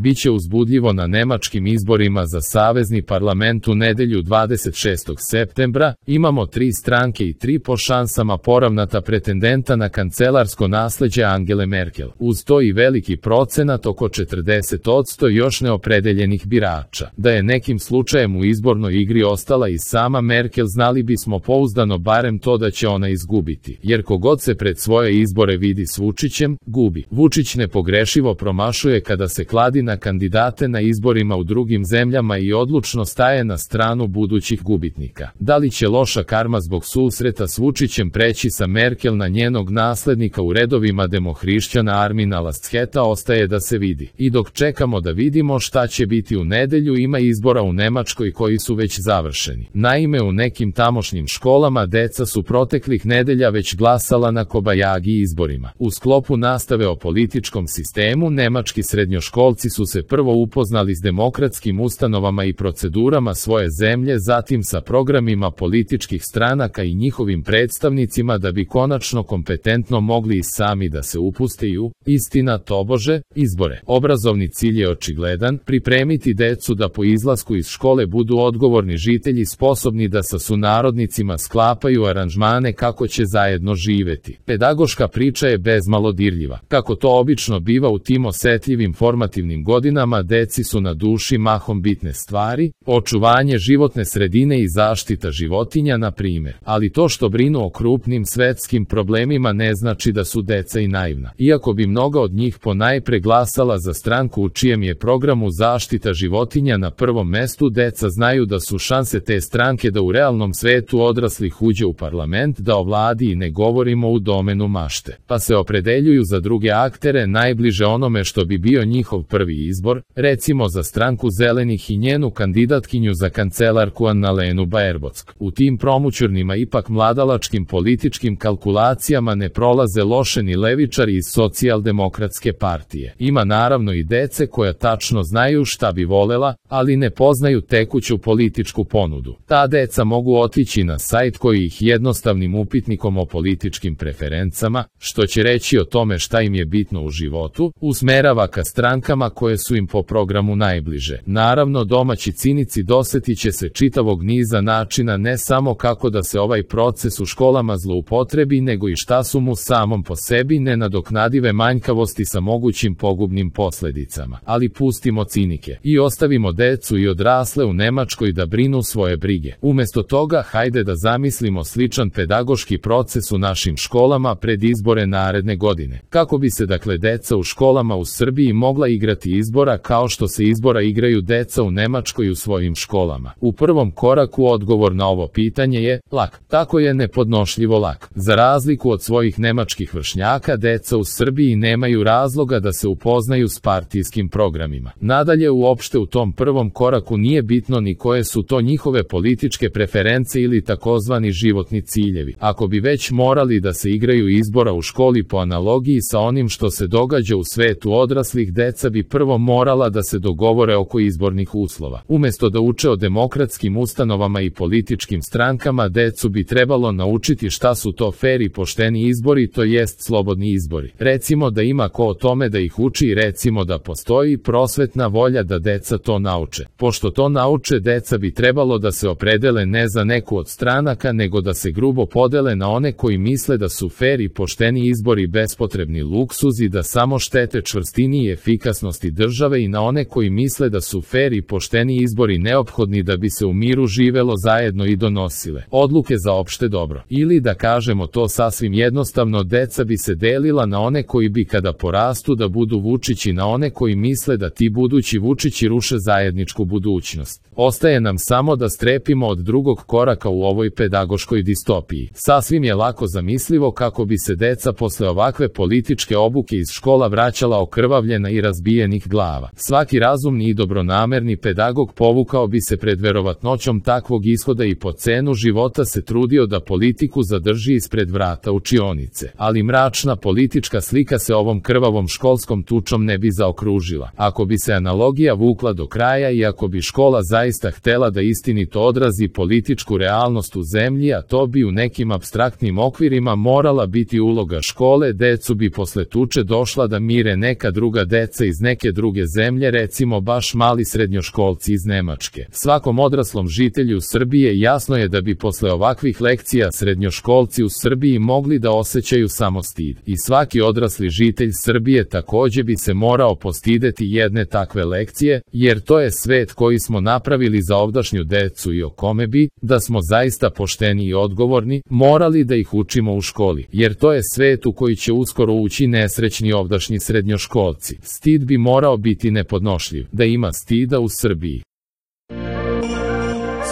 Biće uzbudljivo na nemačkim izborima za savezni parlament u nedelju 26. septembra. Imamo 3 stranke i 3 po šansama poravnata pretendenta na kancelarsko nasleđe Angele Merkel. Uz to i veliki procenat, oko 40% još neopredeljenih birača. Da je nekim slučajem u izbornoj igri ostala i sama Merkel, znali bismo pouzdano barem to da će ona izgubiti. Jer kogod se pred svoje izbore vidi s Vučićem, gubi. Vučić nepogrešivo promašuje kada se kladi na kandidate na izborima u drugim zemljama i odlučno staje na stranu budućih gubitnika. Da li će loša karma zbog susreta s Vučićem preći sa Merkel na njenog naslednika u redovima demohrišćana Armina Lascheta, ostaje da se vidi. I dok čekamo da vidimo šta će biti u nedelju, ima izbora u Nemačkoj koji su već završeni. Naime, u nekim tamošnjim školama deca su proteklih nedelja već glasala na kobajagi izborima. U sklopu nastave o političkom sistemu, nemački srednjoškolci su se prvo upoznali s demokratskim ustanovama i procedurama svoje zemlje, zatim sa programima političkih stranaka i njihovim predstavnicima, da bi konačno kompetentno mogli i sami da se upuste u, istina tobože, izbore. Obrazovni cilj je očigledan: pripremiti decu da po izlasku iz škole budu odgovorni žitelji, sposobni da sa sunarodnicima sklapaju aranžmane kako će zajedno živeti. Pedagoška priča je bezmalo dirljiva. Kako to obično biva u tim osetljivim formativnim godinama, deci su na duši mahom bitne stvari, očuvanje životne sredine i zaštita životinja, na primjer. Ali to što brinu o krupnim svetskim problemima ne znači da su deca i naivna. Iako bi mnoga od njih ponajpre glasala za stranku u čijem je programu zaštita životinja na prvom mestu, deca znaju da su šanse te stranke da u realnom svetu odraslih uđe u parlament, da ovladi, i ne govorimo u domenu mašte. Pa se opredeljuju za druge aktere najbliže onome što bi bio njihov prvi izbor, recimo za stranku zelenih i njenu kandidatkinju za kancelarku Annalenu Baerbock. U tim promućurnima, ipak mladalačkim političkim kalkulacijama ne prolaze loše ni levičari iz socijaldemokratske partije. Ima naravno i dece koja tačno znaju šta bi volela, ali ne poznaju tekuću političku ponudu. Ta deca mogu otići na sajt koji ih jednostavnim upitnikom o političkim preferencama, što će reći o tome šta im je bitno u životu, usmerava ka strankama koje su im po programu najbliže. Naravno, domaći cinici dosetit će se čitavog niza načina, ne samo kako da se ovaj proces u školama zloupotrebi, nego i šta su mu samom po sebi nenadoknadive manjkavosti sa mogućim pogubnim posledicama. Ali pustimo cinike i ostavimo decu i odrasle u Nemačkoj da brinu svoje brige. Umesto toga, hajde da zamislimo sličan pedagoški proces u našim školama pred izbore naredne godine. Kako bi se dakle deca u školama u Srbiji mogla igrati izbora kao što se izbora igraju deca u Nemačkoj u svojim školama? U prvom koraku odgovor na ovo pitanje je lak. Tako je nepodnošljivo lak. Za razliku od svojih nemačkih vršnjaka, deca u Srbiji nemaju razloga da se upoznaju s partijskim programima. Nadalje, uopšte u tom prvom koraku nije bitno ni koje su to njihove političke preference ili takozvani životni ciljevi. Ako bi već morali da se igraju izbora u školi po analogiji sa onim što se događa u svetu odraslih, deca bi prvo morala da se dogovore oko izbornih uslova. Umesto da uče o demokratskim ustanovama i političkim strankama, decu bi trebalo naučiti šta su to fer i pošteni izbori, to jest slobodni izbori. Recimo da ima ko o tome da ih uči i recimo da postoji prosvetna volja da deca to nauče. Pošto to nauče, deca bi trebalo da se opredele ne za neku od stranaka, nego da se grubo podele na one koji misle da su fer i pošteni izbori bespotrebni luksuz i da samo štete čvrstini i efikasnosti države, i na one koji misle da su fer i pošteni izbori neophodni da bi se u miru živelo zajedno i donosile odluke za opšte dobro. Ili da kažemo to sasvim jednostavno, deca bi se delila na one koji bi kada porastu da budu Vučići, na one koji misle da ti budući Vučići ruše zajedničku budućnost. Ostaje nam samo da strepimo od drugog koraka u ovoj pedagoškoj distopiji. Sasvim je lako zamislivo kako bi se deca posle ovakve političke obuke iz škola vraćala okrvavljena i razbijenih glava. Svaki razumni i dobronamerni pedagog povukao bi se pred verovatnoćom takvog ishoda i po cenu života se trudio da politiku zadrži ispred vrata učionice. Ali mračna politička slika se ovom krvavom školskom tučom ne bi zaokružila. Ako bi se analogija vukla do kraja i ako bi škola zaista htela da istinito odrazi političku realnost u zemlji, a to bi u nekim apstraktnim okvirima morala biti uloga škole, decu bi posle tuče došla da mire neka druga deca iz neke druge zemlje, recimo baš mali srednjoškolci iz Nemačke. Svakom odraslom žitelju Srbije jasno je da bi posle ovakvih lekcija srednjoškolci u Srbiji mogli da osjećaju samo stid. I svaki odrasli žitelj Srbije takođe bi se morao postideti jedne takve lekcije, jer to je svet koji smo napravili za ovdašnju decu i o kome bi, da smo zaista pošteni i odgovorni, morali da ih učimo u školi, jer to je svet u koji će uskoro ući nesrećni ovdašnji srednjoškolci. Stid bi morao biti nepodnošljiv, da ima stida u Srbiji.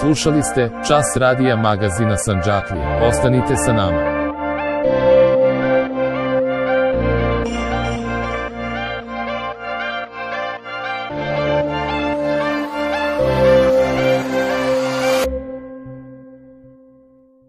Slušali ste Čas radija magazina Sandžaklije. Ostanite sa nama.